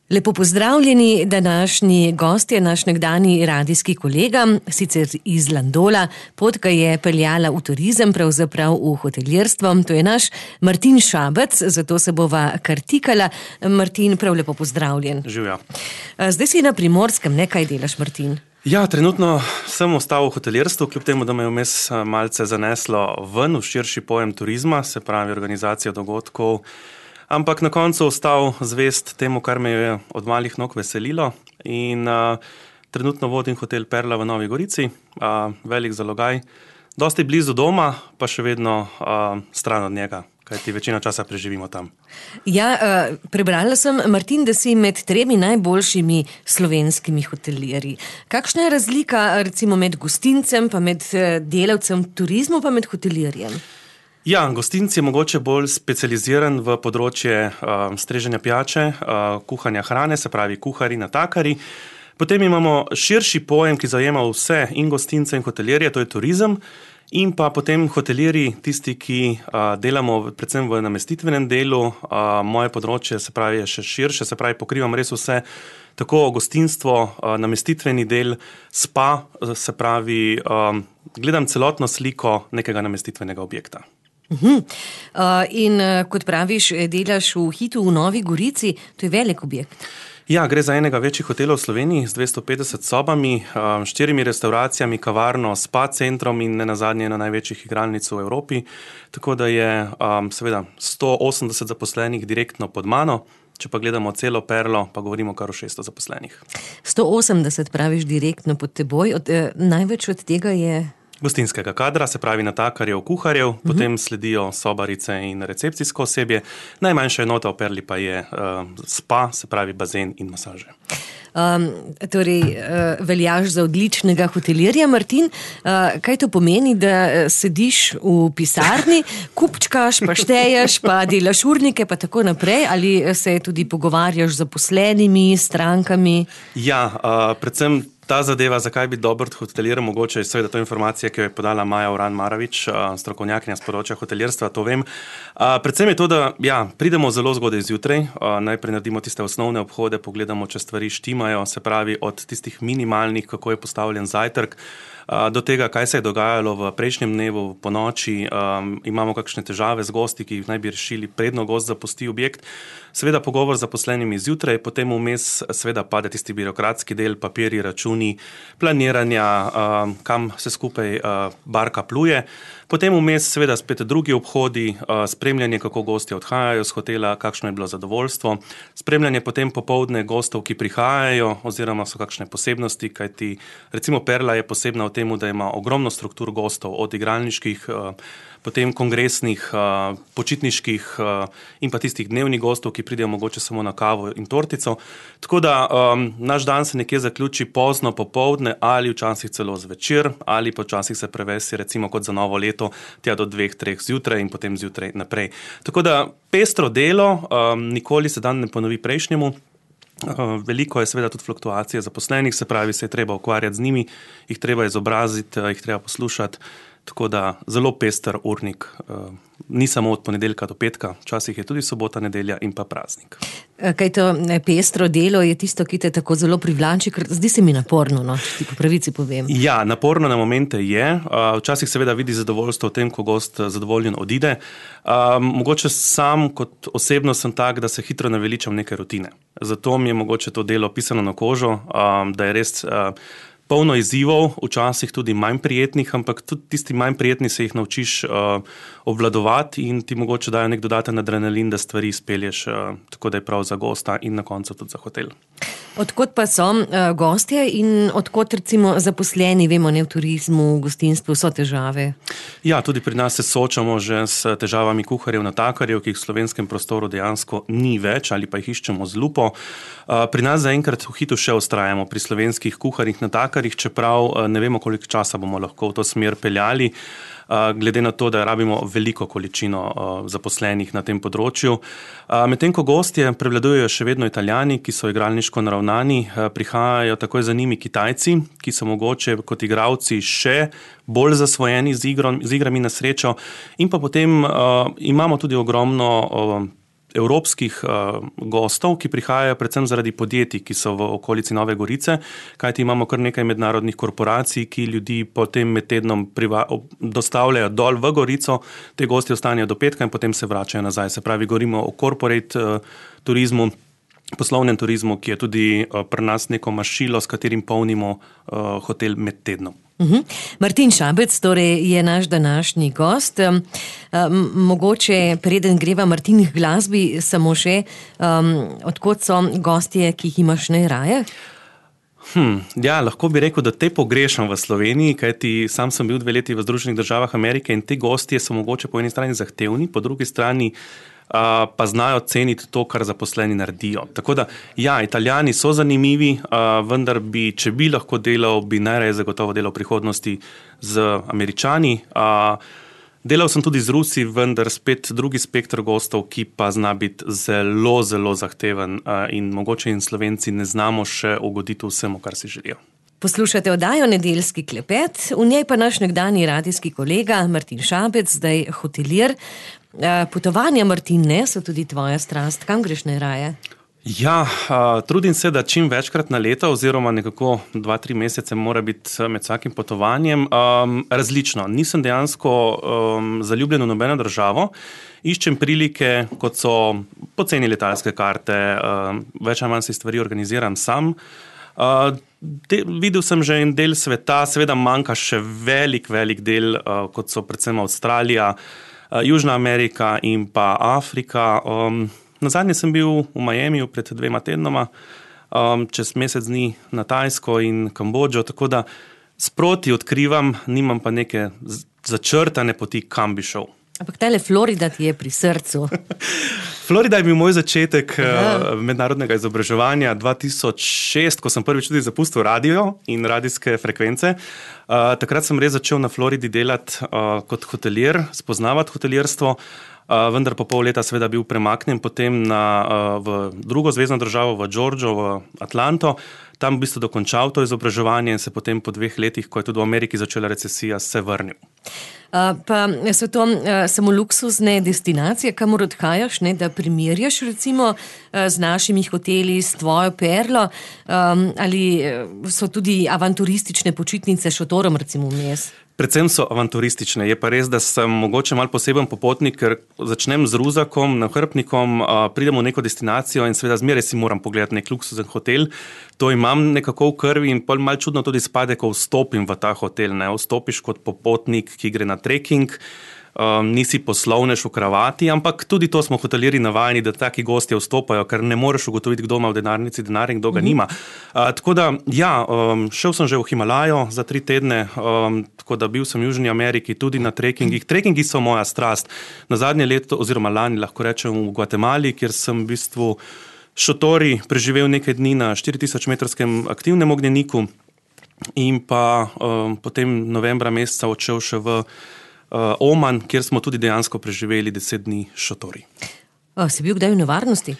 Lepo pozdravljeni, današnji gost je naš nekdanji radijski kolega, sicer iz Landola, pot ga je peljala v turizem, pravzaprav v hotelirstvo. To je naš Martin Šabec, zato se bova kar tikala. Martin, prav lepo pozdravljen. Živja. Zdaj si na Primorskem, ne, kaj delaš, Martin? Ja, trenutno sem ostal v hotelirstvu, kljub temu, da me je vmes malce zaneslo ven v širši pojem turizma, se pravi organizacija dogodkov. Ampak na koncu ostal zvest temu, kar me je od malih nog veselilo in trenutno vodim hotel Perla v Novi Gorici, velik zalogaj, dosti blizu doma, pa še vedno stran od njega, kajti večino časa preživimo tam. Ja, prebrala sem, Martin, da si med 3 najboljšimi slovenskimi hotelirji. Kakšna je razlika recimo med gostincem, pa med delavcem turizmu, pa med hotelirjem? Ja, gostinc je mogoče bolj specializiran v področje streženja pijače, kuhanja hrane, se pravi kuhari, natakari. Potem imamo širši pojem, ki zajema vse in gostince in hotelirje, to je turizem. In pa potem hotelirji, tisti, ki delamo predvsem v namestitvenem delu. Moje področje se pravi je še širše, se pravi pokrivam res vse, tako gostinstvo, namestitveni del, spa, se pravi gledam celotno sliko nekega namestitvenega objekta. In kot praviš, delaš v Hitu v Novi Gorici, to je velik objekt. Ja, gre za enega večjih hotelov v Sloveniji z 250 sobami, 4 restauracijami, kavarno, spa centrom in nenazadnje ena največjih igralnic v Evropi. Tako da je seveda 180 zaposlenih direktno pod mano, če pa gledamo celo Perlo, pa govorimo kar o 600 zaposlenih. 180 praviš direktno pod teboj, največ od tega je... Gostinskega kadra, se pravi natakarjev, kuharjev, potem sledijo sobarice in recepcijsko osebje. Najmanjša enota v Perli pa je spa, se pravi bazen in masaže. Veljaš za odličnega hotelirja, Martin. Kaj to pomeni, da sediš v pisarni, kupčkaš, pa šteješ, pa delaš urnike, pa tako naprej, ali se tudi pogovarjaš z zaposlenimi, strankami? Ja, predvsem ta zadeva, zakaj biti dober hotelir, mogoče je seveda to informacija, ki jo je podala Maja Uran-Marovič, strokovnjakinja z področja hotelirstva, to vem. Predvsem je to, da pridemo zelo zgodaj zjutraj, najprej naredimo tiste osnovne obhode, pogledamo, če stvari štimajo, se pravi od tistih minimalnih, kako je postavljen zajtrk, do tega, kaj se je dogajalo v prejšnjem dnevu, po noči, imamo kakšne težave z gosti, ki jih naj bi rešili, predno gost zapusti objekt. Seveda pogovor z zaposlenimi zjutraj, potem vmes seveda pade tisti birokratski del, papirji, računi, planiranja, kam se skupaj barka pluje. Potem vmes seveda spet drugi obhodi, spremljanje, kako gostje odhajajo z hotela, kakšno je bilo zadovoljstvo, spremljanje potem popoldne gostov, ki prihajajo, oziroma so kakšne posebnosti, kajti recimo Perla je posebna v tem, da ima ogromno struktur gostov, od igralniških, potem kongresnih, počitniških in pa tistih dnevnih gostov, ki pridejo mogoče samo na kavo in tortico. Tako da naš dan se nekje zaključi pozno popoldne ali včasih celo zvečer, ali pa včasih se prevesi recimo kot za novo leto tja do 2-3 zjutraj in potem zjutraj naprej. Tako da pestro delo, nikoli se dan ne ponovi prejšnjemu. Veliko je seveda tudi fluktuacije zaposlenih, se pravi, se je treba ukvarjati z njimi, jih treba izobraziti, jih treba poslušati, tako da zelo pester urnik, ni samo od ponedeljka do petka, včasih je tudi sobota, nedelja in pa praznik. Kaj to pestro delo je tisto, ki te tako zelo privlači, ker zdi se mi naporno, no, če ti po pravici povem. Ja, naporno na momente je, včasih seveda vidi zadovoljstvo v tem, ko gost zadovoljen odide. Mogoče sam kot osebno sem tak, da se hitro naveličam neke rutine. Zato mi je mogoče to delo pisano na kožo, da je res polno izzivov, včasih tudi manj prijetnih, ampak tudi tisti manj prijetni se jih naučiš obvladovati in ti mogoče dajo nek dodaten adrenalin, da stvari izpelješ tako, da je prav za gosta in na koncu tudi za hotel. Odkot pa so gostje in odkot recimo zaposleni, vemo, ne, v turizmu, v gostinstvu, so težave? Ja, tudi pri nas se soočamo že s težavami kuharjev, natakarjev, ki jih v slovenskem prostoru dejansko ni več ali pa jih iščemo z lupo. Pri nas zaenkrat v Hitu še vztrajamo pri slovenskih kuharjih, natakarjih, čeprav ne vemo, koliko časa bomo lahko v to smer peljali. glede na to, da rabimo veliko količino zaposlenih na tem področju. Medtem ko gostje prevladujejo še vedno Italijani, ki so igralniško naravnani, prihajajo takoj za njimi Kitajci, ki so mogoče kot igralci še bolj zasvojeni z igrami na srečo, in pa potem imamo tudi ogromno evropskih gostov, ki prihajajo predvsem zaradi podjetij, ki so v okolici Nove Gorice, kajti imamo kar nekaj mednarodnih korporacij, ki ljudi potem med tednom dostavljajo dol v Gorico, te gosti ostanejo do petka in potem se vračajo nazaj. Se pravi, govorimo o corporate turizmu, poslovnem turizmu, ki je tudi pri nas neko mašilo, s katerim polnimo hotel med tednom. Martin Šabec torej je naš današnji gost. Mogoče preden greva Martin k glasbi, samo še odkot so gostje, ki jih imaš najraje? Ja, lahko bi rekel, da te pogrešam v Sloveniji, kajti sam sem bil 2 leti v Združenih državah Amerike in te gostje so mogoče po eni strani zahtevni, po drugi strani pa znajo ceniti to, kar zaposleni naredijo. Tako da, ja, Italijani so zanimivi, vendar bi, če bi lahko delal, bi najraje zagotovo delal v prihodnosti z Američani. Delal sem tudi z Rusi, vendar spet drugi spektr gostov, ki pa zna biti zelo, zelo zahteven in mogoče in Slovenci ne znamo še ugoditi vsemu, kar si želijo. Poslušate oddajo Nedeljski klepet, v njej pa naš nekdanji radijski kolega Martin Šabec, zdaj hotelir. Potovanja, Martine, so tudi tvoja strast. Kam greš najraje? Ja, trudim se, da čim večkrat na leto oziroma nekako 2-3 mesece mora biti med vsakim potovanjem. Različno. Nisem dejansko zaljubljen v nobeno državo. Iščem prilike, kot so poceni letalske karte, več ali manj si stvari organiziram sam. Videl sem že en del sveta, seveda manjka še velik del, kot so predvsem Avstralija, Južna Amerika in pa Afrika. Nazadnje sem bil v Miamiju pred 2 tednoma, čez mesec dni na Tajsko in Kambodžo, tako da sproti odkrivam, nimam pa neke začrtane poti, kam bi šel. Ampak tale Florida ti je pri srcu. Florida je bil moj začetek mednarodnega izobraževanja 2006, ko sem prvič tudi zapustil radio in radijske frekvence. Takrat sem res začel na Floridi delati kot hotelir, spoznavati hotelirstvo, vendar po pol leta seveda bil premaknjen potem v drugo zvezno državo, v Georgio, v Atlanto. Tam v bistvu dokončal to izobraževanje in se potem po 2 letih, ko je tudi v Ameriki začela recesija, se vrnil. Pa so to samo luksuzne destinacije, kamor odhajaš, ne, da primerjaš recimo z našimi hoteli, s tvojo perlo, ali so tudi avanturistične počitnice šotorom recimo vmes? Predvsem so avanturistične. Je pa res, da sem mogoče malo poseben popotnik, ker začnem z ruzakom, nahrbtnikom, pridem v neko destinacijo in seveda zmeraj si moram pogledati nek luksuzen hotel. To imam nekako v krvi in pol malo čudno tudi spade, ko vstopim v ta hotel. Ne? Vstopiš kot popotnik, ki gre na trekking, nisi poslovnež v kravati, ampak tudi to smo hotelirji navajeni, da taki gostje vstopajo, ker ne moreš ugotoviti, kdo ima v denarnici denar in kdo ga nima. Tako da, ja, šel sem že v Himalajo za 3 tedne, tako da bil sem v Južni Ameriki tudi na trekkingih. Trekkingi so moja strast. Na zadnje leto, oziroma lani, lahko rečem v Gvatemali, kjer sem v bistvu šotori preživel nekaj dni na 4000-metrskem aktivnem ognjeniku in pa potem novembra meseca odšel še v Oman, kjer smo tudi dejansko preživeli 10 dni šotori. Si bil kdaj v nevarnosti?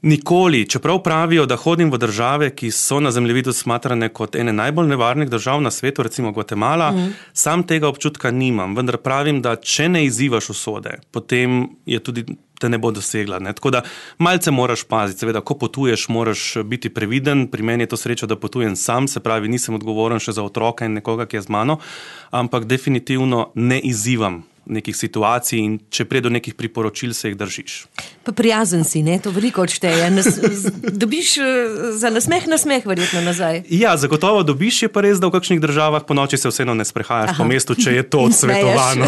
Nikoli, čeprav pravijo, da hodim v države, ki so na zemljevidu smatrane kot ene najbolj nevarnih držav na svetu, recimo Gvatemala, sam tega občutka nimam, vendar pravim, da če ne izzivaš usode, potem je tudi te ne bo dosegla. Ne? Tako da malce moraš paziti, seveda, ko potuješ, moraš biti previden, pri meni je to sreča, da potujem sam, se pravi, nisem odgovoren še za otroka in nekoga, ki je z mano, ampak definitivno ne izzivam nekih situacij in če prije do nekih priporočil, se jih držiš. Pa prijazen si, ne? To veliko odšteje. Dobiš za nasmeh verjetno nazaj. Ja, zagotovo dobiš, je pa res, da v kakšnih državah po noči se vseeno ne sprehajaš po mestu, če je to odsvetovano.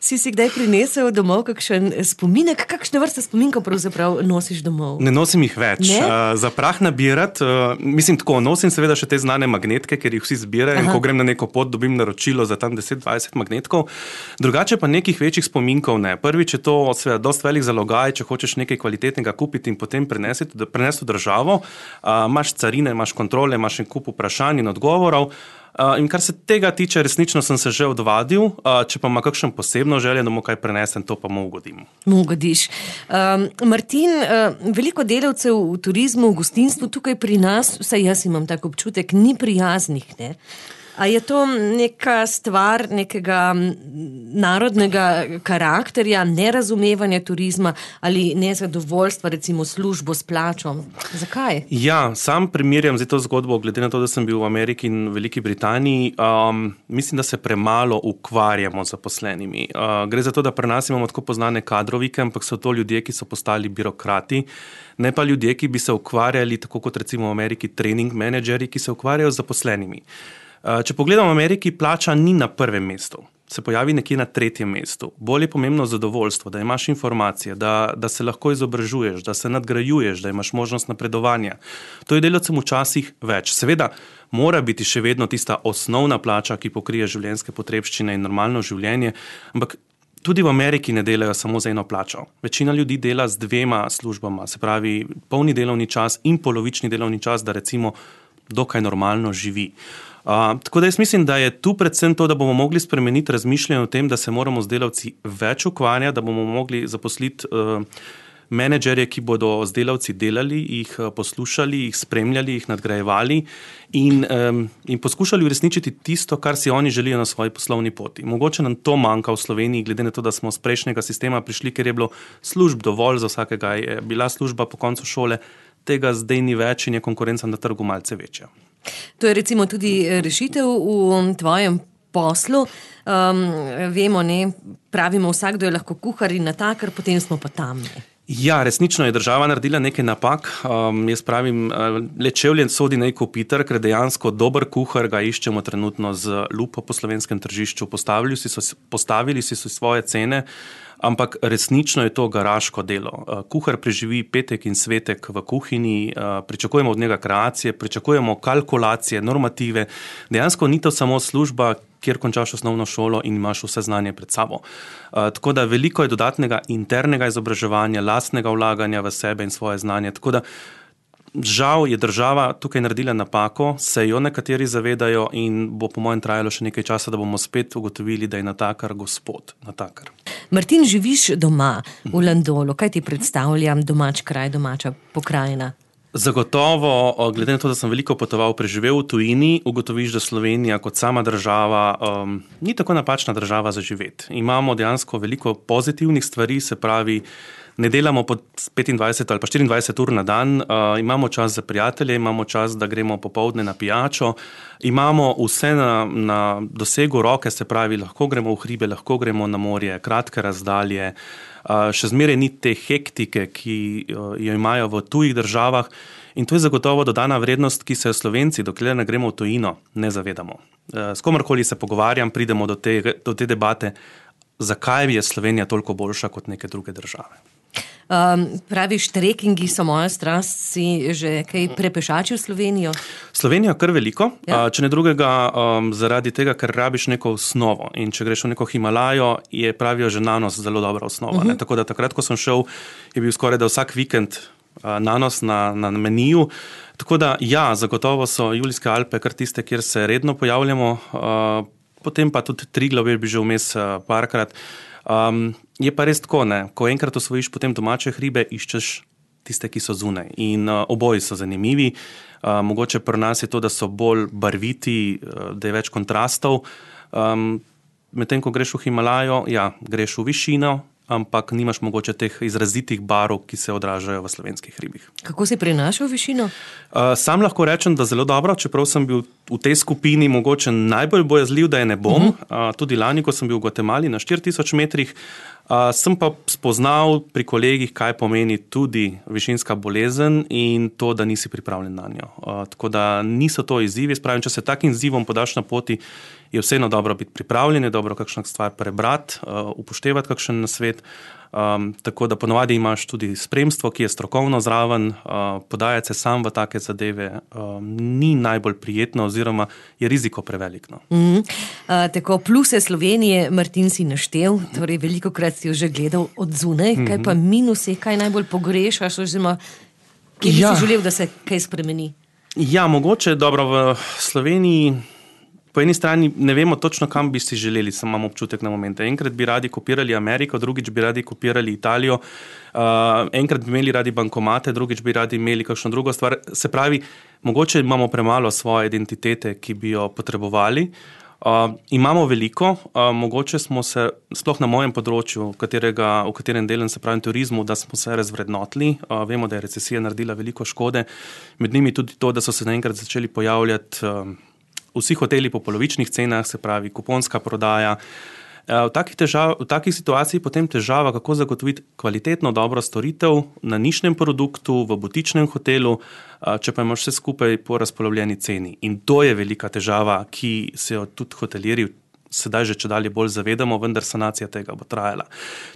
Si kdaj prinesel domov kakšen spominek? Kakšne vrste spominkov pravzaprav nosiš domov? Ne nosim jih več. Za prah nabirati, mislim tako, nosim seveda še te znane magnetke, ker jih vsi zbirajo in ko grem na neko pot, dobim naročilo za tam 10-20 magnetkov. Drugače pa nekih večjih spominkov ne. Prvič je to seveda dosti velik zalogaj, če hočeš nekaj kvalitetnega kupiti in potem prenesti v državo. Imaš carine, imaš kontrole, imaš en kup vprašanj in odgovorov. In kar se tega tiče, resnično sem se že odvadil, če pa ima kakšen posebno želje, da mu kaj prenesem, to pa mu ugodim. Mu ugodiš. Martin, veliko delavcev v turizmu, v gostinstvu tukaj pri nas, vsaj jaz imam tak občutek, ni prijaznih, ne? A je to neka stvar nekega narodnega karakterja, nerazumevanja turizma ali nezadovoljstva, recimo službo s plačo? Zakaj? Ja, sam primerjam zdaj to zgodbo, glede na to, da sem bil v Ameriki in Veliki Britaniji. Mislim, da se premalo ukvarjamo z zaposlenimi. Gre za to, da pri nas imamo tako poznane kadrovike, ampak so to ljudje, ki so postali birokrati, ne pa ljudje, ki bi se ukvarjali, tako kot recimo v Ameriki, trening menedžeri, ki se ukvarjajo z zaposlenimi. Če pogledamo v Ameriki, plača ni na prvem mestu, se pojavi nekje na tretjem mestu. Bolj je pomembno zadovoljstvo, da imaš informacije, da se lahko izobražuješ, da se nadgrajuješ, da imaš možnost napredovanja. To je delavcem včasih več. Seveda mora biti še vedno tista osnovna plača, ki pokrije življenjske potrebščine in normalno življenje, ampak tudi v Ameriki ne delajo samo za eno plačo. Večina ljudi dela z 2 službama, se pravi polni delovni čas in polovični delovni čas, da recimo dokaj normalno živi. Tako da jaz mislim, da je tu predvsem to, da bomo mogli spremeniti razmišljanje o tem, da se moramo z delavci več ukvarjati, da bomo mogli zaposliti menedžerje, ki bodo z delavci delali, jih poslušali, jih spremljali, jih nadgrajevali in poskušali uresničiti tisto, kar si oni želijo na svoji poslovni poti. Mogoče nam to manjka v Sloveniji, glede na to, da smo z prejšnjega sistema prišli, ker je bilo služb dovolj za vsakega, je bila služba po koncu šole, tega zdaj ni več in je konkurenca na trgu malce večja. To je recimo tudi rešitev v tvojem poslu. Vemo, pravimo, vsakdo je lahko kuhar in natakar, potem smo pa tam. Ja, resnično je država naredila nekaj napak. Jaz pravim, le čevljen sodi naj kopitar, ker dejansko dober kuhar ga iščemo trenutno z lupo po slovenskem tržišču. Postavili si svoje cene, ampak resnično je to garaško delo. Kuhar preživi petek in svetek v kuhinji, pričakujemo od njega kreacije, pričakujemo kalkulacije, normative. Dejansko ni to samo služba, kjer končaš osnovno šolo in imaš vse znanje pred sabo. Tako da veliko je dodatnega internega izobraževanja, lastnega vlaganja v sebe in svoje znanje. Tako da žal je država tukaj naredila napako, se jo nekateri zavedajo in bo po mojem trajalo še nekaj časa, da bomo spet ugotovili, da je natakar gospod natakar. Martin, živiš doma v Landolu. Kaj ti predstavlja domač kraj, domača pokrajina? Zagotovo, glede na to, da sem veliko potoval, preživel v tujini, ugotoviš, da Slovenija kot sama država ni tako napačna država za živeti. Imamo dejansko veliko pozitivnih stvari, se pravi, ne delamo po 25 ali pa 24 ur na dan, imamo čas za prijatelje, imamo čas, da gremo popoldne na pijačo, imamo vse na dosegu roke, se pravi, lahko gremo v hribe, lahko gremo na morje, kratke razdalje, še zmeraj ni te hektike, ki jo imajo v tujih državah in to je zagotovo dodana vrednost, ki se Slovenci, dokler ne gremo v tujino, ne zavedamo. S komarkoli se pogovarjam, pridemo do te debate, zakaj je Slovenija toliko boljša kot neke druge države. Praviš, trekingi so moja strast, si že kaj prepešačil Slovenijo? Slovenijo kar veliko, ja? Če ne drugega zaradi tega, ker rabiš neko osnovo in če greš v neko Himalajo, je pravijo že nanos zelo dobra osnova. Tako da takrat, ko sem šel, je bil skoraj da vsak vikend nanos na meniju. Tako da ja, zagotovo so Julijske Alpe kar tiste, kjer se redno pojavljamo, potem pa tudi Triglav je bil že vmes parkrat. Je pa res tako, ko enkrat osvojiš potem domače hribe, iščeš tiste, ki so zunaj in oboji so zanimivi. Mogoče pri nas je to, da so bolj barviti, da je več kontrastov. Medtem, ko greš v Himalajo, ja, greš v višino, ampak nimaš mogoče teh izrazitih barv, ki se odražajo v slovenskih hribih. Kako si prinašal višino? Sam lahko rečem, da zelo dobro, čeprav sem bil v tej skupini mogoče najbolj bojazljiv, da je ne bom. Tudi lani, ko sem bil v Gvatemali na 4000 metrih, sem pa spoznal pri kolegih, kaj pomeni tudi višinska bolezen in to, da nisi pripravljen na njo. Tako da niso to izzivi. Spravim, če se takim izzivom podaš na poti, je vseeno dobro biti pripravljen, je dobro kakšno stvar prebrati, upoštevati kakšen nasvet. Tako da ponovadi imaš tudi spremstvo, ki je strokovno zraven, podajati se sam v take zadeve ni najbolj prijetno oziroma je riziko prevelik. Tako pluse Slovenije, Martin, si naštel, torej velikokrat si jo že gledal od zunaj, kaj pa minusi, kaj najbolj pogrešaš oziroma kje bi si želel, da se kaj spremeni? Ja, mogoče dobro v Sloveniji po eni strani ne vemo točno, kam bi si želeli, samo imamo občutek na momente. Enkrat bi radi kopirali Ameriko, drugič bi radi kopirali Italijo, enkrat bi imeli radi bankomate, drugič bi radi imeli kakšno drugo stvar. Se pravi, mogoče imamo premalo svoje identitete, ki bi jo potrebovali. Imamo veliko, mogoče smo se, sploh na mojem področju, v katerem delam, se pravi turizmu, da smo se razvrednotili. Vemo, da je recesija naredila veliko škode. Med njimi tudi to, da so se naenkrat začeli pojavljati vsi hoteli po polovičnih cenah, se pravi kuponska prodaja. V takih situaciji potem težava, kako zagotoviti kvalitetno, dobro storitev na nišnem produktu, v butičnem hotelu, če pa imaš vse skupaj po razpolovljeni ceni. In to je velika težava, ki se jo tudi hotelirji sedaj že čedalje bolj zavedamo, vendar sanacija tega bo trajala.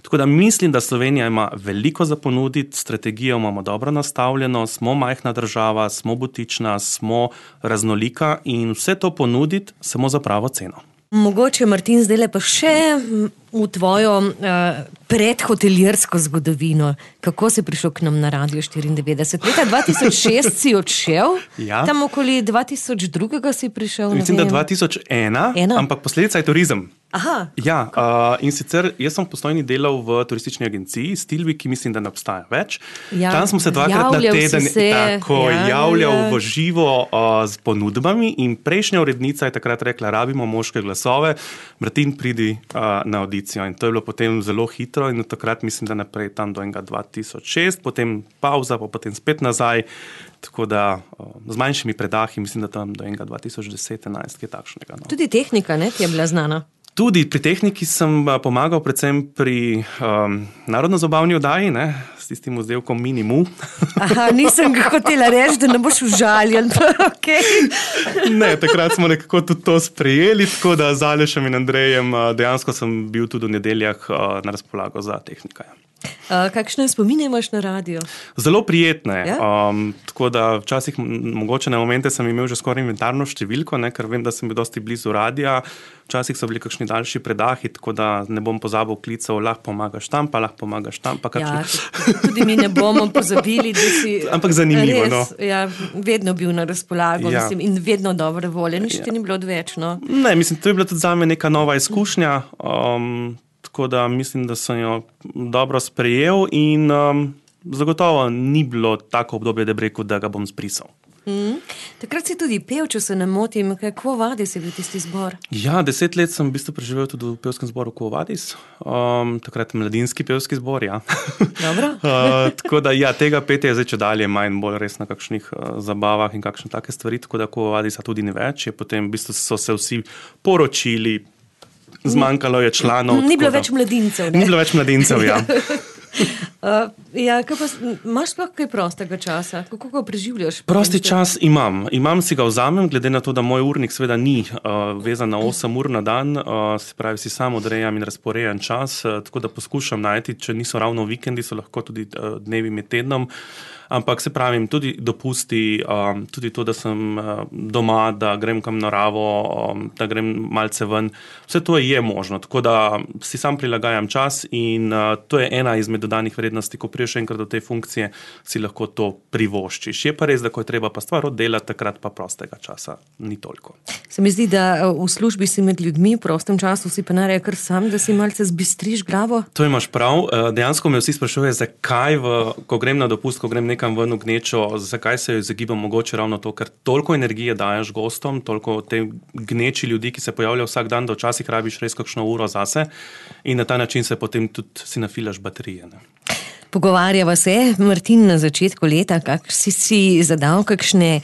Tako da mislim, da Slovenija ima veliko za ponuditi, strategijo imamo dobro nastavljeno, smo majhna država, smo butična, smo raznolika in vse to ponuditi samo za pravo ceno. Mogoče, Martin, zdaj pa še v tvojo predhotelirsko zgodovino. Kako si prišel k nam na Radio 94? Leta 2006 si odšel, tam okoli 2002 si prišel. Mislim, da 2001, ampak posledica je turizem. Aha. Ja, in sicer jaz sem v Postojni delal v turistični agenciji Stilvi, ki mislim, da ne obstaja več. Ja, tam smo se dvakrat na teden javljal v živo z ponudbami in prejšnja urednica je takrat rekla, rabimo moške glasove, Martin, pridi na audicijo. In to je bilo potem zelo hitro in od takrat mislim, da naprej tam do 2006, potem pauza, pa potem spet nazaj. Tako da z manjšimi predahi mislim, da tam do 2010-2011 je takšnega. No. Tudi tehnika, ne, ti je bila znana? Tudi pri tehniki sem pomagal predvsem pri narodno-zabavni oddaji, ne, s tistim vzdevkom Minimu. Aha, nisem ga hotela reči, da ne boš užaljen. Okay. Ne, takrat smo nekako tudi to sprejeli, tako da z Alešem in Andrejem dejansko sem bil tudi v nedeljah na razpolago za tehnika. Kakšne spomine imaš na radio? Zelo prijetne. Ja? Tako da včasih, mogoče na momente sem imel že skoraj inventarno številko, ne, ker vem, da sem bil dosti blizu radia. Včasih so bili kakšni daljši predahi, tako da ne bom pozabil klicev, lahko pomagaš tam, pa lahko pomagaš tam. Pa ja, tudi mi ne bomo pozabili, da si ampak zanimivo, res, no. Ja, vedno bil na razpolago, ja. Mislim, in vedno dobre volje, nič ti ni bilo odvečno. Ne, mislim, to je bila tudi zame neka nova izkušnja. Tako da mislim, da sem jo dobro sprejel in zagotovo ni bilo tako obdobje, da bi rekel, da ga bom zbrisal. Takrat si tudi pel, če se ne motim. Quo Vadis je bil tisti zbor? Ja, 10 let sem v bistvu preživel tudi v pevskem zboru Quo Vadis. Takrat mladinski pevski zbor, ja. Dobro. Tako da ja, tega petja je zdaj čedalje manj bolj res na kakšnih zabavah in kakšne take stvari, tako da Quo Vadisa tudi ni več. Je potem v bistvu so se vsi poročili, zmanjkalo je članov. Ni bilo več mladincev, ne? Ni bilo več mladincev, ja. Ja, kaj pa, imaš sploh kaj prostega časa? Kako ga preživljaš? Prosti čas imam. Si ga vzamem, glede na to, da moj urnik seveda ni vezan na 8 ur na dan, se pravi, si sam odrejam in razporejam čas, tako da poskušam najti, če niso ravno vikendi, so lahko tudi dnevi med tednom. Ampak se pravim, tudi dopusti, tudi to, da sem doma, da grem kam naravo, da grem malce ven. Vse to je možno, tako da si sam prilagajam čas in to je ena izmed dodanih vrednosti, ko priješ enkrat do te funkcije, si lahko to privoščiš. Je pa res, da ko je treba pa stvar oddelati, takrat pa prostega časa ni toliko. Se mi zdi, da v službi si med ljudmi, v prostem času si pa nareja kar sam, da si malce zbistriš glavo? To imaš prav. Dejansko me vsi sprašujejo, zakaj, ko grem na dopust, ko grem nekam ven v gnečo, zakaj se jo izogibam, mogoče ravno to, ker toliko energije daješ gostom, toliko te gneči ljudi, ki se pojavljajo vsak dan, da včasih rabiš res kakšno uro zase in na ta način se potem tudi si nafilaš baterije. Ne? Pogovarjava se, Martin, na začetku leta, kak si zadal kakšne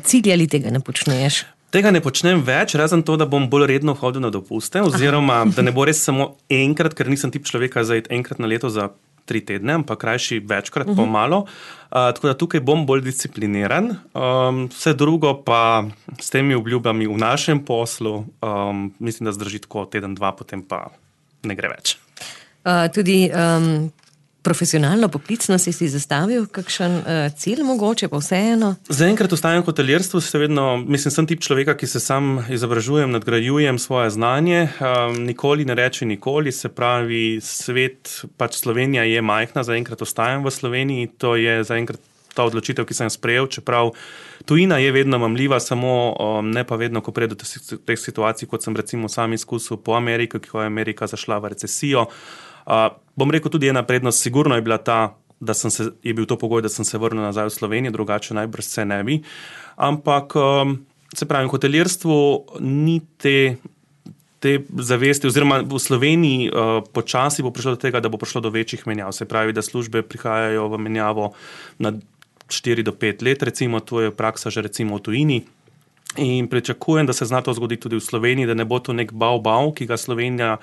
cilje ali tega ne počneš? Tega ne počnem več, razen to, da bom bolj redno hodil na dopuste, oziroma da ne bo res samo enkrat, ker nisem tip človeka za iti enkrat na leto za 3 tedne, ampak krajši večkrat, pomalo. Tako da tukaj bom bolj discipliniran. Vse drugo pa s temi obljubami v našem poslu, mislim, da zdrži tako teden, 2, potem pa ne gre več. Tudi profesionalno, poklicno si zastavil kakšen cilj mogoče, pa vseeno? Zaenkrat ostajam v hotelirstvu, sem tip človeka, ki se sam izobražujem, nadgrajujem svoje znanje, nikoli ne reče nikoli, se pravi, svet, pač Slovenija je majhna, zaenkrat ostajam v Sloveniji, to je zaenkrat ta odločitev, ki sem jo sprejel, čeprav tujina je vedno mamljiva, samo ne pa vedno, ko pride do teh situacij, kot sem recimo sam izkusil po Ameriki, ko je Amerika zašla v recesijo. Bom rekel, tudi ena prednost sigurno je bila ta, je bil to pogoj, da sem se vrnil nazaj v Slovenijo, drugače najbrž se ne bi. Ampak, se pravi, v hotelirstvu ni te zavesti, oziroma v Sloveniji počasi bo prišlo do tega, da bo prišlo do večjih menjav. Se pravi, da službe prihajajo v menjavo na 4 do 5 let, recimo, to je praksa že recimo v tujini. In pričakujem, da se zna to zgoditi tudi v Sloveniji, da ne bo to nek bav, ki ga Slovenija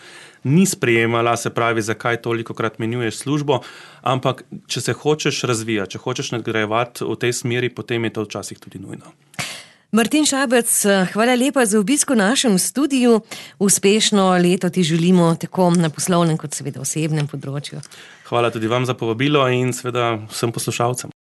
ni sprejemala, se pravi, zakaj tolikokrat menjuješ službo, ampak če se hočeš razvijati, če hočeš nadgrajevati v tej smeri, potem je to včasih tudi nujno. Martin Šabec, hvala lepa za obisk v našem studiu. Uspešno leto ti želimo tako na poslovnem kot seveda osebnem področju. Hvala tudi vam za povabilo in seveda vsem poslušalcem.